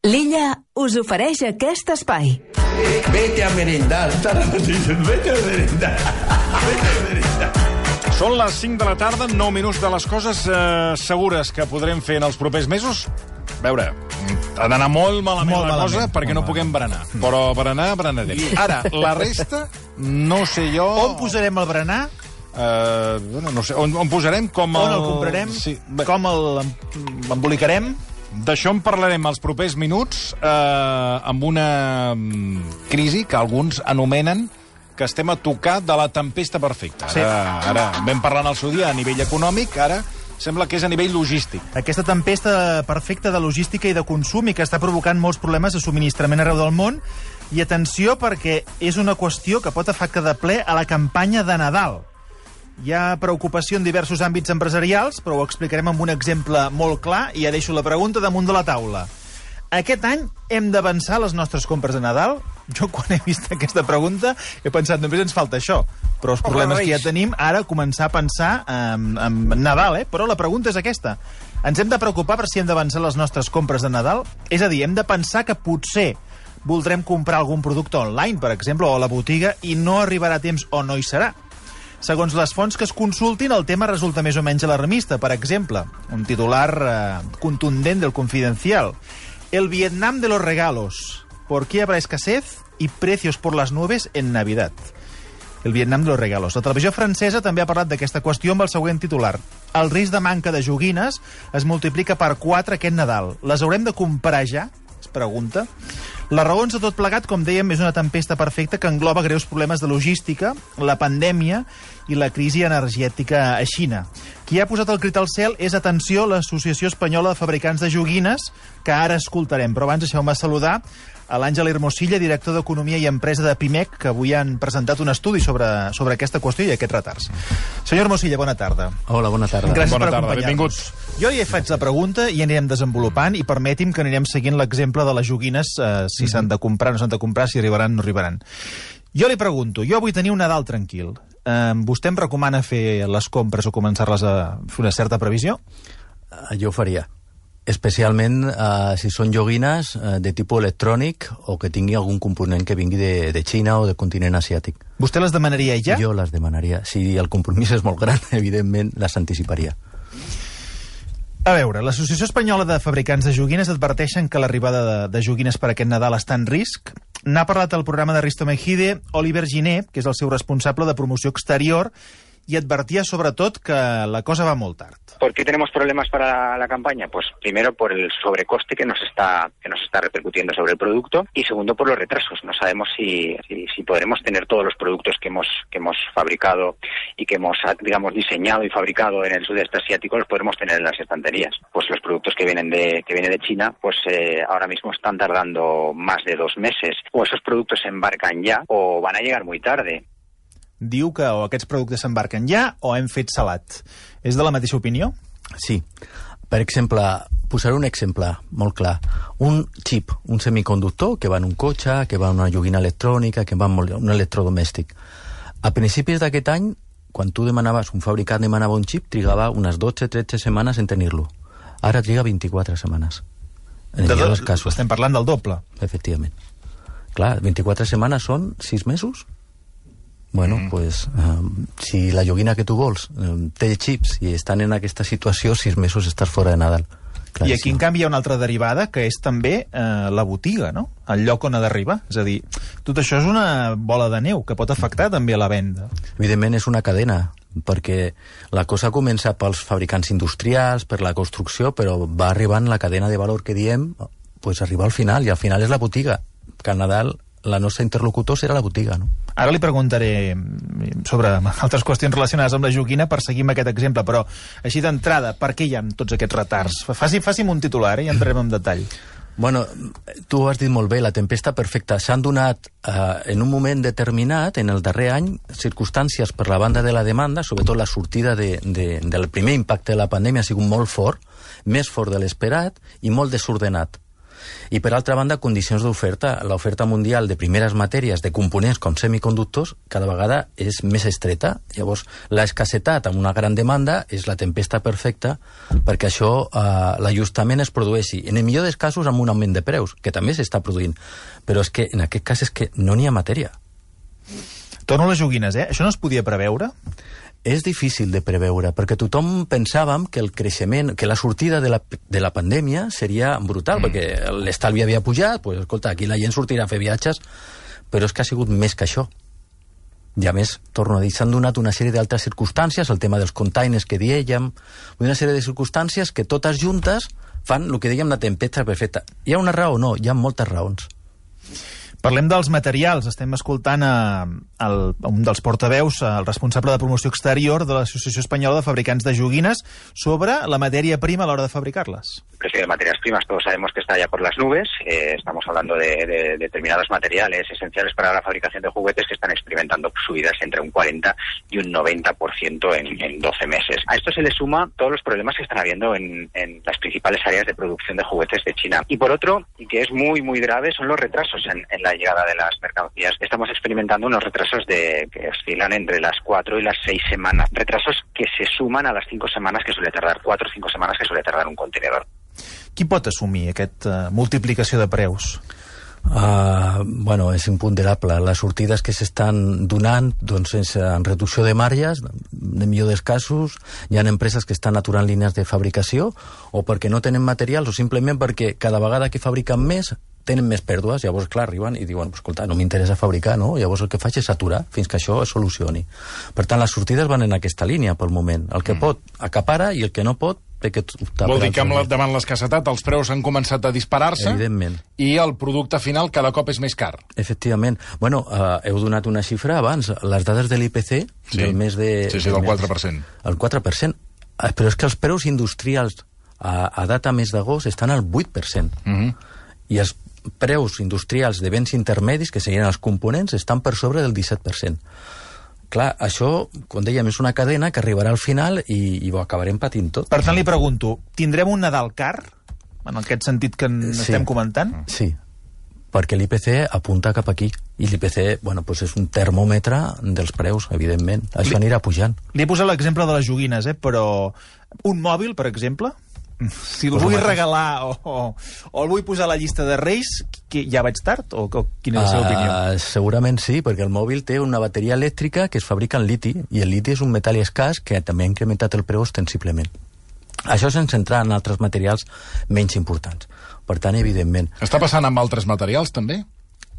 L'Illa us ofereix aquest espai. Vete a merendar, vete a merendar. Són les 5 de la tarda, 9 minuts de les coses segures que podrem fer en els propers mesos. A veure, ha d'anar molt malament la cosa perquè no puguem berenar. Però berenarem. Ara, la resta, no sé jo... On posarem el berenar? No sé, on posarem com On el comprarem? Sí. Com l'embolicarem? D'això en parlarem els propers minuts amb una crisi que alguns anomenen que estem a tocar de la tempesta perfecta. Sí. Ara vam parlar en el seu dia a nivell econòmic, ara sembla que és a nivell logístic. Aquesta tempesta perfecta de logística i de consum i que està provocant molts problemes de subministrament arreu del món. I atenció, perquè és una qüestió que pot afectar de ple a la campanya de Nadal. Hi ha preocupació en diversos àmbits empresarials, però ho explicarem amb un exemple molt clar i ja deixo la pregunta damunt de la taula. Aquest any hem d'avançar les nostres compres de Nadal? Jo, quan he vist aquesta pregunta, he pensat, només ens falta això. Però els problemes que ja tenim, ara començar a pensar en Nadal, Però la pregunta és aquesta. Ens hem de preocupar per si hem d'avançar les nostres compres de Nadal? És a dir, hem de pensar que potser voldrem comprar algun producte online, per exemple, o a la botiga, i no arribarà a temps o no hi serà. Segons les fonts que es consultin, el tema resulta més o menys alarmista. Per exemple, un titular contundent del Confidencial. El Vietnam de los regalos. ¿Por qué habrá escasez y precios por las nubes en Navidad? El Vietnam de los regalos. La televisió francesa també ha parlat d'aquesta qüestió amb el següent titular. El risc de manca de joguines es multiplica per 4 aquest Nadal. Les haurem de comprar ja? Es pregunta. Les raons de tot plegat, com dèiem, és una tempesta perfecta que engloba greus problemes de logística, la pandèmia i la crisi energètica a Xina. Qui ha posat el crit al cel és, atenció, l'Associació Espanyola de Fabricants de Joguines, que ara escoltarem. Però abans deixeu-me saludar a l'Àngel Hermosilla, director d'Economia i Empresa de Pimec, que avui han presentat un estudi sobre aquesta qüestió i aquests retards. Senyor Hermosilla, bona tarda. Hola, bona tarda. Gràcies per acompanyar-nos. Benvinguts. Jo ja faig la pregunta i anirem desenvolupant i permeti'm que anirem seguint l'exemple de les joguines, si s'han de comprar, no s'han de comprar, si arribaran, no arribaran. Jo li pregunto, jo vull tenir un Nadal tranquil. Vostè em recomana fer les compres o començar-les a fer una certa previsió? Jo ho faria. Especialment si són joguines de tipus electrònic o que tingui algun component que vingui de Xina o del continent asiàtic. Vostè les demanaria ja? Jo les demanaria. Si el compromís és molt gran, evidentment les anticiparia. A veure, l'Associació Espanyola de Fabricants de Joguines adverteixen que l'arribada de joguines per aquest Nadal està en risc. N'ha parlat al programa de Risto Mejide Oliver Giner, que és el seu responsable de promoció exterior, y advertía sobre todo que la cosa va molt tard. ¿Por qué tenemos problemas para la campaña? Pues primero por el sobrecoste que nos está repercutiendo sobre el producto y segundo por los retrasos. No sabemos si podremos tener todos los productos que hemos fabricado y que hemos, digamos, diseñado y fabricado en el sudeste asiático, los podremos tener en las estanterías. Pues los productos que vienen de China, pues ahora mismo están tardando más de 2 meses. O esos productos se embarcan ya o van a llegar muy tarde. Diu que o aquests productes s'embarquen ja o hem fet salat. És de la mateixa opinió? Sí. Per exemple, posaré un exemple molt clar. Un xip, un semiconductor que va en un cotxe, que va en una joguina electrònica, que va en un electrodomèstic. A principis d'aquest any, quan tu demanaves, un fabricant demanava un xip, trigava unes 12-13 setmanes en tenir-lo. Ara triga 24 setmanes. En els casos. Estem parlant del doble. Efectivament. Clar, 24 setmanes són 6 mesos. Bueno, pues, si la joguina que tu vols té xips i estan en aquesta situació, 6 mesos estàs fora de Nadal. Claríssim. I aquí, en canvi, hi ha una altra derivada, que és també la botiga, no? El lloc on ha d'arribar. És a dir, tot això és una bola de neu que pot afectar també a la venda. Evidentment és una cadena, perquè la cosa comença pels fabricants industrials, per la construcció, però va arribant la cadena de valor que diem, pues arriba al final, i al final és la botiga, que al Nadal la nostra interlocutor serà la botiga, no? Ara li preguntaré sobre altres qüestions relacionades amb la joguina per seguir amb aquest exemple, però així d'entrada, per què hi ha tots aquests retards? Faci'm un titular i entrem en detall. Bueno, tu ho has dit molt bé, la tempesta perfecta. S'han donat en un moment determinat, en el darrer any, circumstàncies per la banda de la demanda, sobretot la sortida del primer impacte de la pandèmia ha sigut molt fort, més fort de l'esperat i molt desordenat. I, per altra banda, condicions d'oferta. L'oferta mundial de primeres matèries, de components com semiconductors, cada vegada és més estreta. Llavors, l'escassetat amb una gran demanda és la tempesta perfecta perquè això, l'ajustament es produeixi. En el millor dels casos, amb un augment de preus, que també s'està produint. Però és que, en aquest cas, és que no n'hi ha matèria. Torno a les joguines, Això no es podia preveure? És difícil de preveure, perquè tothom pensàvem que el creixement, que la sortida de la pandèmia seria brutal, perquè l'estalvi havia pujat, pues, escolta, aquí la gent sortirà a fer viatges, però és que ha sigut més que això. I a més, torno a dir, s'han donat una sèrie d'altres circumstàncies, el tema dels containers que dèiem, una sèrie de circumstàncies que totes juntes fan el que dèiem la tempesta perfecta. Hi ha una raó? No, hi ha moltes raons. Parlem dels materials. Estem escoltant un dels portaveus, el responsable de promoció exterior de l'Associació Espanyola de Fabricants de Joguines, sobre la matèria prima a l'hora de fabricarles. El precio de materias primas todos sabemos que está ya por las nubes. Estamos hablando de determinados materiales esenciales para la fabricación de juguetes que están experimentando subidas entre un 40 y un 90% en 12 meses. A esto se le suma todos los problemas que están habiendo en las principales áreas de producción de juguetes de China. Y por otro, y que es muy, muy grave, son los retrasos en la llegada de las mercancías. Estamos experimentando unos retrasos que oscilan entre las 4 y las 6 semanas. Retrasos que se suman a las 5 semanas que suele tardar, 4 o 5 semanas que suele tardar un contenedor. Qui pot assumir aquesta multiplicació de preus? Bueno, és imponderable. Les sortides que s'estan donant doncs, en reducció de marges, en millor dels casos, hi ha empreses que estan aturant línies de fabricació o perquè no tenen materials o simplement perquè cada vegada que fabriquen més tenen més pèrdues, llavors, clar, arriben i diuen, escolta, no m'interessa fabricar, no? Llavors el que faig és aturar fins que això es solucioni. Per tant, les sortides van en aquesta línia pel moment. El que pot acapara i el que no pot té que optar. Vol dir que davant l'escassetat els preus han començat a disparar-se. Evidentment. I el producte final cada cop és més car. Efectivament. Bueno, heu donat una xifra abans. Les dades de l'IPC del mes de... Sí, del 4%. El 4%. Però és que els preus industrials a data mes d'agost estan al 8%. I els preus industrials de béns intermedis, que serien els components, estan per sobre del 17%. Clar, això, com dèiem, és una cadena que arribarà al final i ho acabarem patint tot. Per tant, li pregunto, tindrem un Nadal car? En aquest sentit que estem comentant? Sí, perquè l'IPC apunta cap aquí. I l'IPC, bueno, doncs és un termòmetre dels preus, evidentment. Això anirà pujant. Li he posat l'exemple de les joguines, però un mòbil, per exemple, si el vull regalar o el vull posar a la llista de Reis, ja vaig tard? O quina és la seva opinió? Segurament sí, perquè el mòbil té una bateria elèctrica que es fabrica en liti, i el liti és un metall escàs que també ha incrementat el preu ostensiblement. Això sense entrar en altres materials menys importants. Per tant, evidentment... Està passant amb altres materials, també?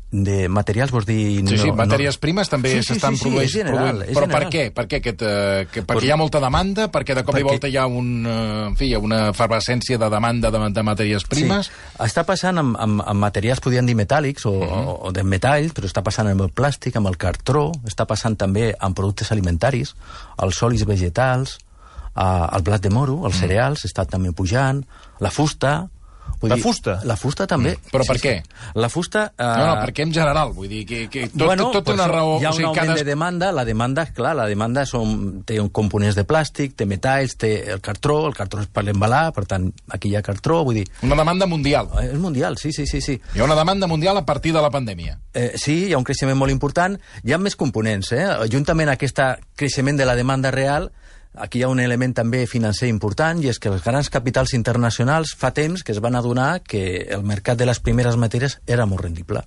De materials, vols dir... Sí, matèries primes també s'estan produint. És general. Però per què? Perquè hi ha molta demanda? Perquè de cop i volta hi ha una efervescència de demanda de matèries primes? Sí. Està passant amb materials, podríem dir metàl·lics o de metall, però està passant amb el plàstic, amb el cartró, està passant també amb productes alimentaris, els olis vegetals, el blat de moro, els cereals, està també pujant, la fusta... La fusta? La fusta també. Però per què? La fusta... No, perquè en general, vull dir que tot una raó... Hi ha un augment de demanda, la demanda, clar, té components de plàstic, té metalls, té el cartró és per l'embalar, per tant, aquí hi ha cartró, vull dir... Una demanda mundial. És mundial, sí. Hi ha una demanda mundial a partir de la pandèmia. Sí, hi ha un creixement molt important, hi ha més components, juntament a aquest creixement de la demanda real. Aquí hi ha un element també financer important, i és que els grans capitals internacionals fa temps que es van adonar que el mercat de les primeres matèries era molt rendible.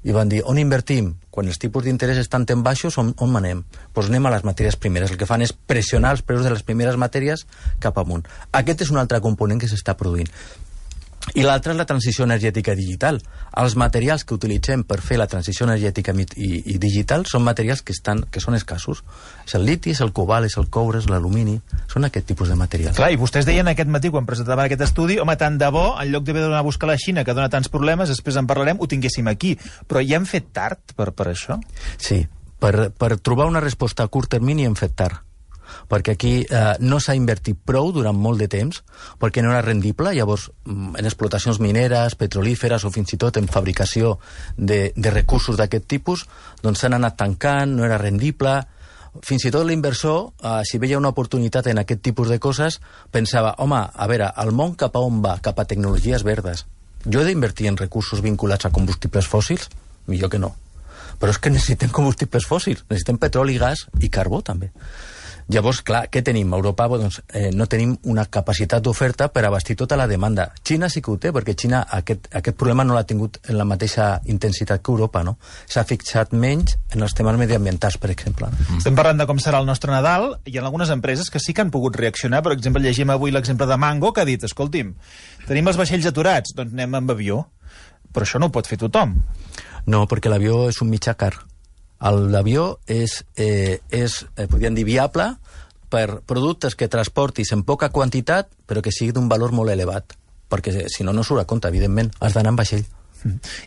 I van dir, on invertim? Quan els tipus d'interès estan tan baixos, on anem? Doncs anem a les matèries primeres. El que fan és pressionar els preus de les primeres matèries cap amunt. Aquest és un altre component que s'està produint. I l'altre és la transició energètica digital. Els materials que utilitzem per fer la transició energètica i digital són materials que són escassos. És el liti, és el cobalt, és el coure, és l'alumini. Són aquest tipus de materials. Clar, i vostès deien aquest matí, quan presentaven aquest estudi, home, tant de bo, en lloc d'haver d'anar a buscar a la Xina, que dona tants problemes, després en parlarem, ho tinguéssim aquí. Però ja hem fet tard per això? Sí. Per trobar una resposta a curt termini hem fet tard. Perquè aquí no s'ha invertit prou durant molt de temps, perquè no era rendible. Llavors, en explotacions mineres, petrolíferes o fins i tot en fabricació de recursos d'aquest tipus, doncs s'han anat tancant, no era rendible. Fins i tot l'inversor, si veia una oportunitat en aquest tipus de coses, pensava, home, a veure, el món cap a on va? Cap a tecnologies verdes. Jo he d'invertir en recursos vinculats a combustibles fòssils? Millor que no. Però és que necessitem combustibles fòssils, necessitem petroli, gas i carbó, també. Llavors, clar, què tenim? A Europa doncs, no tenim una capacitat d'oferta per abastir tota la demanda. Xina sí que ho té, perquè Xina aquest problema no l'ha tingut en la mateixa intensitat que Europa, no? S'ha fixat menys en els temes mediambientals, per exemple. Estem parlant de com serà el nostre Nadal. Hi ha algunes empreses que sí que han pogut reaccionar. Per exemple, llegim avui l'exemple de Mango, que ha dit, escolti'm, tenim els vaixells aturats, doncs anem amb avió. Però això no ho pot fer tothom. No, perquè l'avió és un mitjà car. L'avió és podríem dir, viable per productes que transportis en poca quantitat, però que sigui d'un valor molt elevat, perquè si no, no surt a compte, evidentment, has d'anar en vaixell.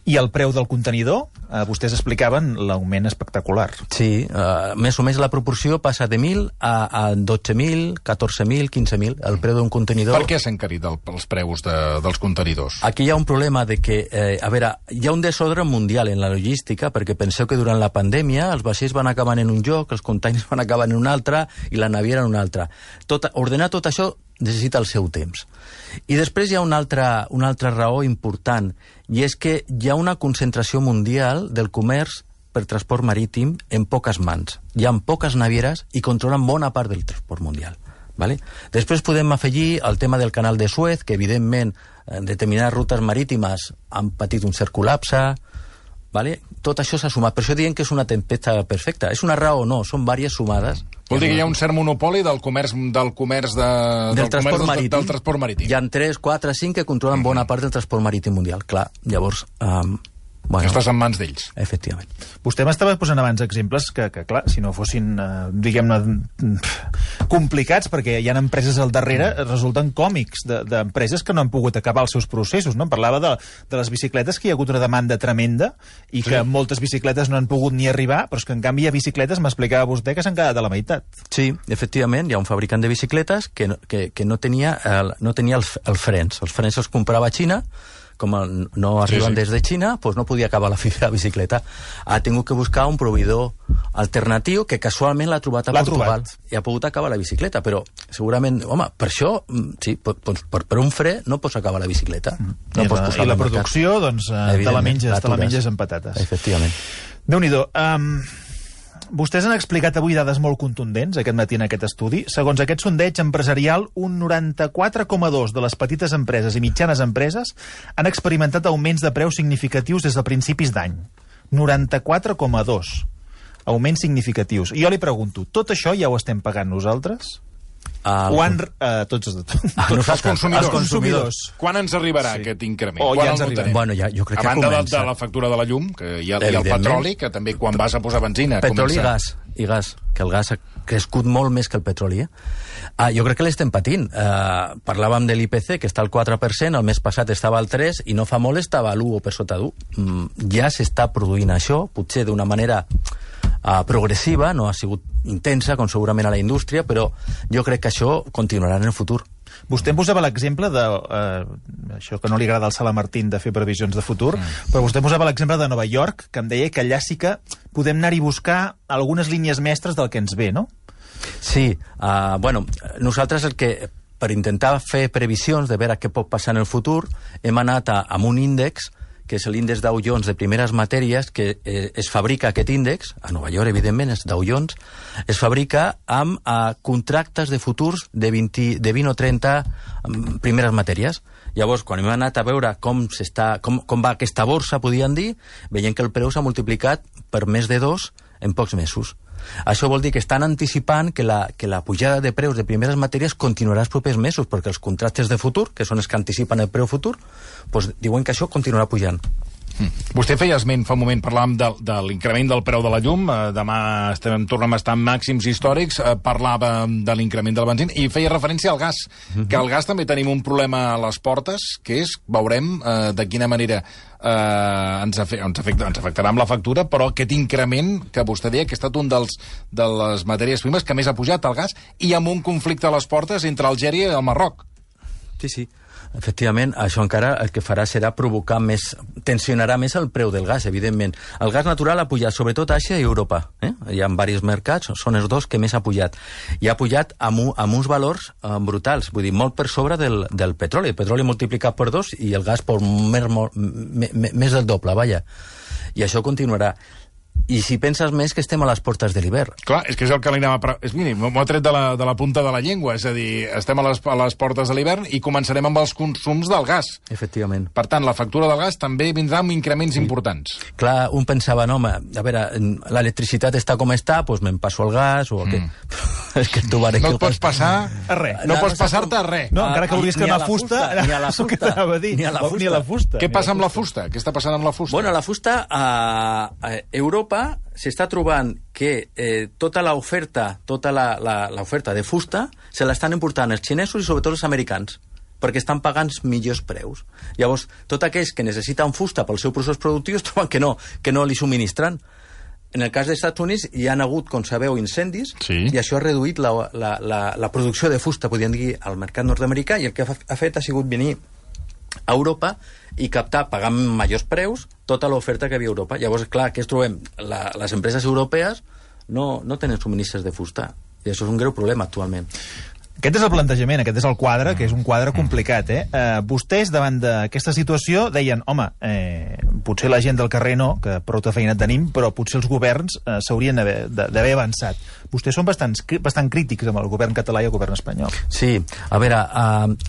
I el preu del contenidor? Vostès explicaven l'augment espectacular. Sí, més o menys la proporció passa de 1.000 a 12.000, 14.000, 15.000, el preu d'un contenidor. Per què s'han encarit els preus dels contenidors? Aquí hi ha un problema de que, hi ha un desordre mundial en la logística, perquè penseu que durant la pandèmia els vaixells van acabar en un lloc, els containers van acabar en un altre i la naviera en un altre. Ordenar tot això necessita el seu temps. I després hi ha una altra raó important, i és que hi ha una concentració mundial del comerç per transport marítim en poques mans. Hi ha poques navieres i controlen bona part del transport mundial. Vale? Després podem afegir el tema del canal de Suez, que evidentment en determinades rutes marítimes han patit un cert col·lapse. Vale? Tot això s'ha sumat. Per això diuen que és una tempesta perfecta. És una raó o no, són diverses sumades. Vol dir que hi ha un cert monopoli del transport marítim. Hi ha 3, 4, 5 que controlen bona part del transport marítim mundial. Clar, llavors... Estàs en mans d'ells. Efectivament. Vostè m'estava posant abans exemples que clar, si no fossin, diguem-ne, complicats, perquè hi ha empreses al darrere, resulten còmics d'empreses que no han pogut acabar els seus processos, no? Em parlava de les bicicletes, que hi ha hagut una demanda tremenda i que moltes bicicletes no han pogut ni arribar, però és que en canvi hi ha bicicletes, m'explicava vostè, que s'han quedat a la meitat. Sí, efectivament, hi ha un fabricant de bicicletes que no tenia els frens. Els frens els comprava a Xina, com no arriben des de Xina, doncs no podia acabar la bicicleta. Ha tingut que buscar un proveïdor alternatiu que casualment l'ha trobat a Portugal i ha pogut acabar la bicicleta, però segurament, home, per això, sí, per un fre no pots acabar la bicicleta. No pots posar I la producció, doncs, te la menges amb patates. Efectivament. Déu-n'hi-do. Vostès han explicat avui dades molt contundents aquest matí en aquest estudi. Segons aquest sondeig empresarial, un 94,2% de les petites empreses i mitjanes empreses han experimentat augments de preus significatius des de principis d'any. 94,2%. Augments significatius. I jo li pregunto, tot això ja ho estem pagant nosaltres? Tots els consumidors. Quan ens arribarà aquest increment? Bueno, jo crec que a banda comença. de la factura de la llum, que hi ha el petroli, que també quan vas a posar benzina... Petroli i gas, que el gas ha crescut molt més que el petroli. Jo crec que l'estem patint. Parlàvem de l'IPC, que està al 4%, el mes passat estava al 3%, i no fa molt estava a l'1 o per sota d'1. Ja s'està produint això, potser d'una manera progressiva, no ha sigut intensa, com segurament a la indústria, però jo crec que això continuarà en el futur. Vostè em posava l'exemple de... això que no li agrada al Sala Martín de fer previsions de futur, però vostè em posava l'exemple de Nova York, que em deia que allà sí que podem anar-hi a buscar algunes línies mestres del que ens ve, no? Sí, nosaltres per intentar fer previsions de veure què pot passar en el futur, hem anat amb un índex que és l'índex Dow Jones de primeres matèries, que es fabrica aquest índex, a Nova York, evidentment, és Dow Jones, es fabrica amb contractes de futurs de 20 o 30 primeres matèries. Llavors, quan hem anat a veure com va aquesta borsa, podien dir, veiem que el preu s'ha multiplicat per més de 2 en pocs mesos. Això vol dir que estan anticipant que la pujada de preus de primeres matèries continuarà els propers mesos, perquè els contractes de futur, que són els que anticipen el preu futur, doncs diuen que això continuarà pujant. Vostè feia esment fa un moment, parlàvem de l'increment del preu de la llum, demà tornem a estar en màxims històrics, parlava de l'increment del benzina i feia referència al gas, que al gas també tenim un problema a les portes, que és, veurem de quina manera ens afectarà amb la factura, però aquest increment que vostè deia que ha estat un de les matèries primes que més ha pujat, el gas, i amb un conflicte a les portes entre Algèria i el Marroc. Sí. Efectivament, això encara el que farà serà provocar més, tensionarà més el preu del gas, evidentment. El gas natural ha pujat, sobretot a Àsia i Europa. Hi ha diversos mercats, són els dos que més ha pujat. I ha pujat amb uns valors brutals, vull dir, molt per sobre del petroli. El petroli multiplicat per 2 i el gas per més del doble, vaja. I això continuarà. I si penses més que estem a les portes de l'hivern. Clar, és que és el que li anava m'ho ha tret de la punta de la llengua, és a dir, estem a les portes de l'hivern i començarem amb els consums del gas. Efectivament. Per tant, la factura del gas també vindrà amb increments importants. Clar, un pensava, no, a veure, l'electricitat està com està, doncs me'n passo al gas o què. És que tu no et pots passar a res. No pots passar-te a res. No, encara que vulguis que una fusta... Ni a la fusta. Ni a la fusta. Què passa amb la fusta? Què està passant amb la fusta? Bueno, la fusta a Europa s'està trobant que tota l'oferta de fusta se l'estan important els xinesos i sobretot els americans, perquè estan pagant millors preus. Llavors, tots aquells que necessiten fusta pel seu procés productiu es troben que no li subministren. En el cas dels Estats Units hi ha hagut, com sabeu, incendis, i això ha reduït la producció de fusta, podríem dir, al mercat nord-americà, i el que ha fet ha sigut venir a Europa i captar, pagant majors preus, tota l'oferta que hi havia a Europa. Llavors, clar, què es trobem? Les empreses europees no tenen subministres de fusta, i això és un greu problema actualment. Aquest és el plantejament, aquest és el quadre, que és un quadre complicat, Vostès, davant d'aquesta situació, deien, home, potser la gent del carrer no, que prou feina tenim, però potser els governs s'haurien d'haver avançat. Vostès són bastant crítics amb el govern català i el govern espanyol. Sí, a veure,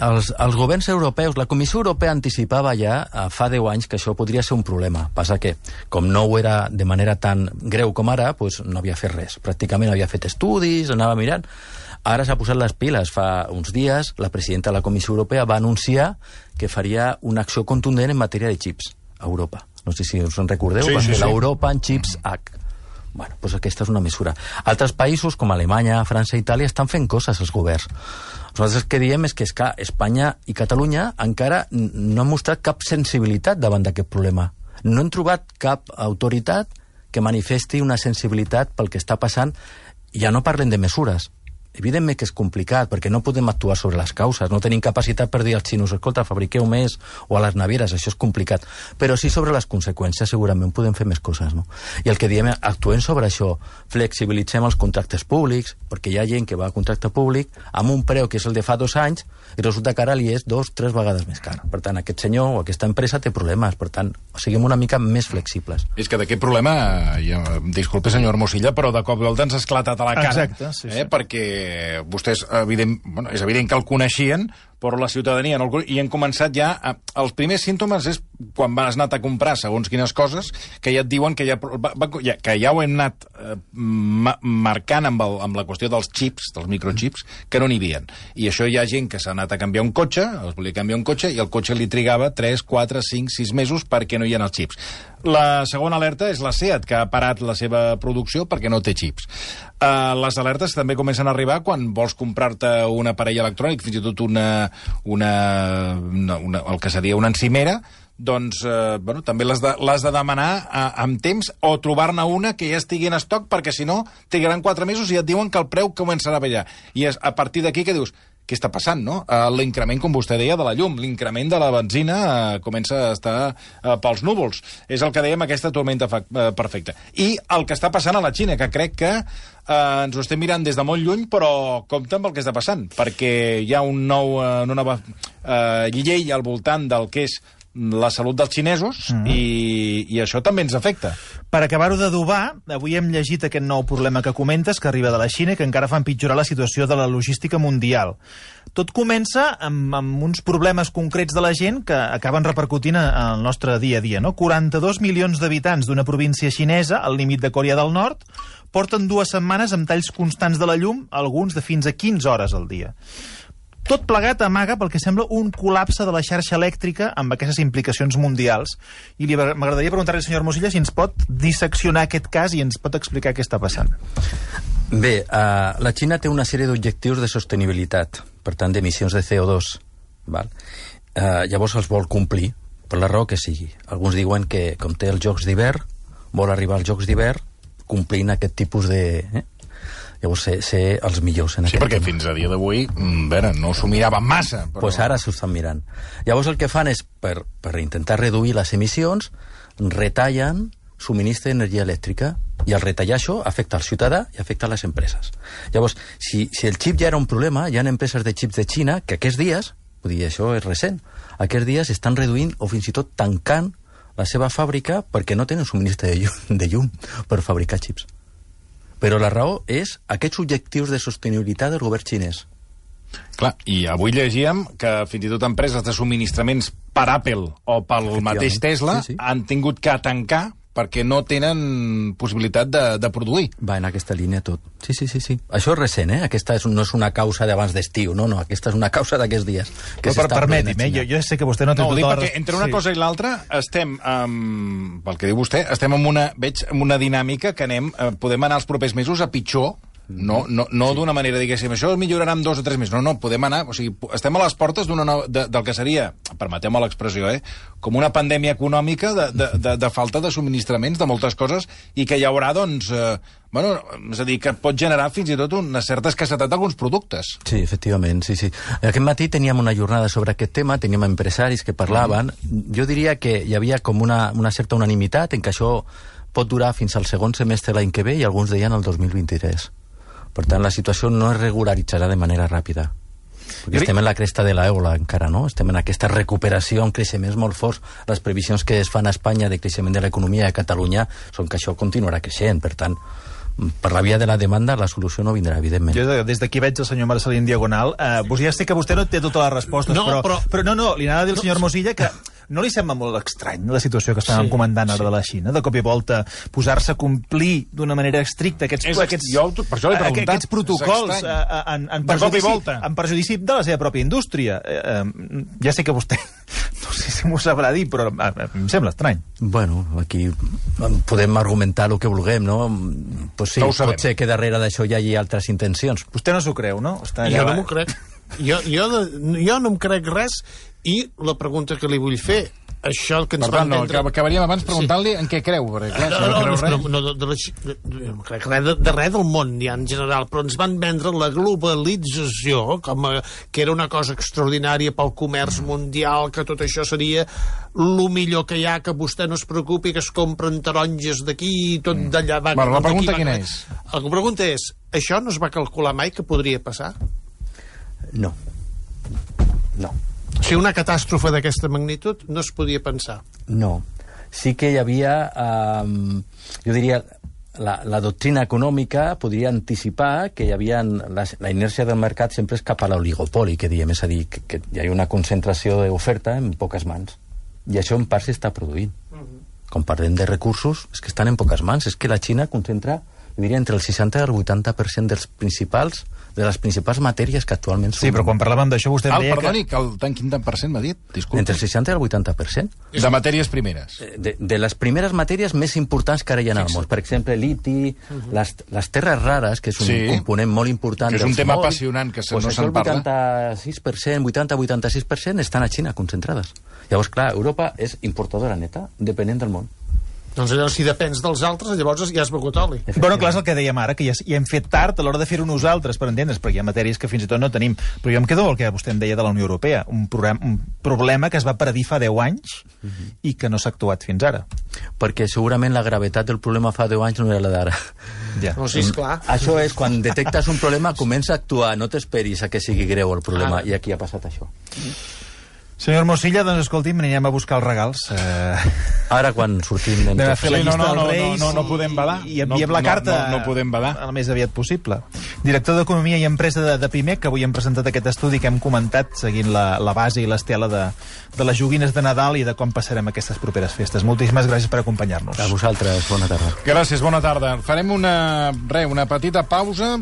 els governs europeus, la Comissió Europea anticipava ja fa 10 anys que això podria ser un problema. Passa que, com no ho era de manera tan greu com ara, doncs no havia fet res. Pràcticament havia fet estudis, anava mirant. Ara s'ha posat les piles. Fa uns dies la presidenta de la Comissió Europea va anunciar que faria una acció contundent en matèria de xips a Europa. No sé si us en recordeu, l'Europa en Chips Act. Bueno, doncs aquesta és una mesura. Altres països, com Alemanya, França i Itàlia, estan fent coses els governs. Nosaltres el que diem és que Espanya i Catalunya encara no han mostrat cap sensibilitat davant d'aquest problema. No hem trobat cap autoritat que manifesti una sensibilitat pel que està passant. Ja no parlen de mesures. Evidentment que és complicat, perquè no podem actuar sobre les causes, no tenim capacitat per dir als xinos, escolta, fabriqueu més, o a les navieres, això és complicat, però sí sobre les conseqüències segurament podem fer més coses, no? I el que diem, actuem sobre això, flexibilitzem els contractes públics, perquè hi ha gent que va a contracte públic amb un preu que és el de fa 2 anys, i resulta que ara li és 2-3 vegades més car. Per tant, aquest senyor o aquesta empresa té problemes, per tant, siguem una mica més flexibles. És que d'aquest problema, disculpe senyor Hermosilla, però de cop i volta ens ha esclatat a la cara. Exacte, sí. Perquè vostès, és evident que el coneixien, però la ciutadania no el... I han començat ja... Els primers símptomes és quan vas anat a comprar segons quines coses, que ja et diuen que ja ho hem anat marcant amb la qüestió dels xips, dels microchips, que no n'hi havia. I això hi ha gent que s'ha anat a canviar un cotxe, els volia canviar un cotxe, i el cotxe li trigava 3, 4, 5, 6 mesos perquè no hi ha els xips. La segona alerta és la SEAT, que ha parat la seva producció perquè no té xips. Les alertes també comencen a arribar quan vols comprar-te un aparell electrònic, fins i tot el que seria una encimera, doncs també l'has de demanar amb temps o trobar-ne una que ja estigui en estoc, perquè si no trigaran 4 mesos i et diuen que el preu començarà a ballar. I és a partir d'aquí que dius, què està passant, no? L'increment, com vostè deia, de la llum, l'increment de la benzina comença a estar pels núvols. És el que dèiem, aquesta tormenta perfecta. I el que està passant a la Xina, que crec que ens ho estem mirant des de molt lluny, però compte amb el que està passant, perquè hi ha una nova llei al voltant del que és la salut dels xinesos i això també ens afecta. Per acabar-ho d'adobar, avui hem llegit aquest nou problema que comentes, que arriba de la Xina i que encara fa empitjorar la situació de la logística mundial. Tot comença amb uns problemes concrets de la gent que acaben repercutint en el nostre dia a dia, no? 42 milions d'habitants d'una província xinesa, al límit de Corea del Nord, porten 2 setmanes amb talls constants de la llum, alguns de fins a 15 hores al dia. Tot plegat amaga pel que sembla un col·lapse de la xarxa elèctrica amb aquestes implicacions mundials. I m'agradaria preguntar-li al senyor Hermosilla si ens pot disseccionar aquest cas i ens pot explicar què està passant. Bé, la Xina té una sèrie d'objectius de sostenibilitat, per tant, d'emissions de CO2. Val? Llavors els vol complir, per la raó que sigui. Alguns diuen que, com té els Jocs d'hivern, vol arribar als Jocs d'hivern complint aquest tipus de... Llavors, ser els millors en Sí, aquest perquè tema. fins a dia d'avui, no s'ho mirava massa. Però... Pues ara s'ho estan mirant. Llavors el que fan és, per intentar reduir les emissions, retallen subministre d'energia elèctrica, i al retallar això afecta al ciutadà i afecta a les empreses. Llavors, si el xip ja era un problema, hi ha empreses de xips de Xina que aquests dies, vull dir, això és recent, aquests dies estan reduint o fins i tot tancant la seva fàbrica perquè no tenen subministre de llum per fabricar xips. Però la raó és aquests objectius de sostenibilitat del govern xinès. Clar, i avui llegíem que fins i tot empreses de subministraments per Apple o pel mateix Tesla han tingut que tancar perquè no tenen possibilitat de produir. Va en aquesta línia tot. Sí. Això és recent, Aquesta no és una causa d'abans d'estiu, no, aquesta és una causa d'aquests dies. Permeti'm, jo sé que vostè no té tota la... perquè entre una cosa i l'altra estem, pel que diu vostè, estem en una dinàmica que podem anar els propers mesos a pitjor. No d'una manera, diguéssim, això millorarà en 2 o 3 mesos. No, podem anar... O sigui, estem a les portes del que seria, permeteu-me l'expressió, com una pandèmia econòmica de falta de subministraments de moltes coses i que hi haurà, doncs... és a dir, que pot generar fins i tot una certa escassetat d'alguns productes. Sí, efectivament, sí. Aquest matí teníem una jornada sobre aquest tema, teníem empresaris que parlaven. Jo diria que hi havia com una certa unanimitat en que això pot durar fins al segon semestre l'any que ve i alguns deien el 2023. Per tant, la situació no es regularitzarà de manera ràpida. Perquè estem en la cresta de l'eula encara, no? Estem en aquesta recuperació en creixements molt forts. Les previsions que es fan a Espanya de creixement de l'economia a Catalunya són que això continuarà creixent. Per tant, per la via de la demanda, la solució no vindrà, evidentment. Jo des d'aquí veig el senyor Marcelí en diagonal. Ja sé que vostè no té totes les respostes, però li anava a dir al senyor Mosilla que no li sembla molt estrany la situació que estàvem comentant ara de la Xina, de cop i volta posar-se a complir d'una manera estricta aquests protocols en perjudici de la seva pròpia indústria. Ja sé que vostè no sé si m'ho sabrà dir, però em sembla estrany. Bueno, aquí podem argumentar el que vulguem, no? Pues sí, pot ser que darrere d'això hi hagi altres intencions. Vostè no s'ho creu, no? Jo no m'ho crec. Jo no em crec res. I la pregunta que li vull fer, això que ens van vendre... Acabaríem abans preguntant-li en què creu. No crec de res del món ja en general, però ens van vendre la globalització com que era una cosa extraordinària pel comerç mundial, que tot això seria el millor que hi ha, que vostè no es preocupi, que es compren taronges d'aquí i tot d'allà. La pregunta quina és? La pregunta és, això no es va calcular mai que podria passar? No. Si una catàstrofe d'aquesta magnitud no es podia pensar. No. Sí que hi havia, jo diria, la doctrina econòmica podria anticipar que hi havia la inèrcia del mercat sempre és cap a l'oligopoli, que diem, és a dir, que hi ha una concentració d'oferta en poques mans. I això en part s'està produint. Quan parlem de recursos, és que estan en poques mans. És que la Xina concentra, jo diria, entre el 60 i el 80% de les principals matèries que actualment són... Sí, però quan parlàvem d'això vostè em deia perdoni, quin tant per cent m'ha dit? Disculpa. Entre el 60 i el 80%. De matèries primeres. De les primeres matèries més importants que ara hi ha al món. Per exemple, liti, les terres rares, que és un component molt important... Que és un tema apassionant que no se'n parla. El 80-86% estan a Xina concentrades. Llavors, clar, Europa és importadora neta, dependent del món. Doncs llavors, si depens dels altres, llavors ja has begut oli. Bueno, clar, és el que dèiem ara, que ja hem fet tard a l'hora de fer-ho nosaltres, per entendre's, perquè hi ha matèries que fins i tot no tenim. Però jo em quedo el que vostè em deia de la Unió Europea, un problema que es va predir fa 10 anys i que no s'ha actuat fins ara. Perquè segurament la gravetat del problema fa 10 anys no era la d'ara. Ja. No, sí, esclar. Això és, quan detectes un problema, comença a actuar, no t'esperis a que sigui greu el problema, i aquí ha passat això. Senyor Mosilla, doncs escolti'm, anirem a buscar els regals. Ara, quan sortim... Anem a fer la llista dels Reis no podem badar. I enviem la carta no podem badar. el més aviat possible. Director d'Economia i Empresa de Pimec, que avui hem presentat aquest estudi que hem comentat, seguint la base i l'estela de les joguines de Nadal i de com passarem aquestes properes festes. Moltíssimes gràcies per acompanyar-nos. A vosaltres, bona tarda. Gràcies, bona tarda. Farem una petita pausa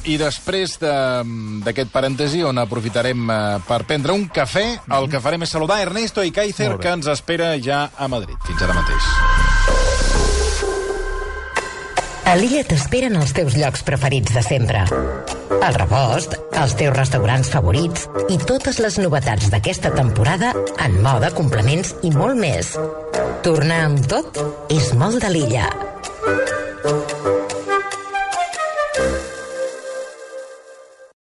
i després d'aquest parèntesi on aprofitarem per prendre un cafè, el que farem és saludar Ernesto Ikaizer, que ens espera ja a Madrid. Fins ara mateix. A l'Illa t'esperen els teus llocs preferits de sempre. El Rebost, els teus restaurants favorits i totes les novetats d'aquesta temporada en moda, complements i molt més. Tornar amb tot és molt de l'Illa.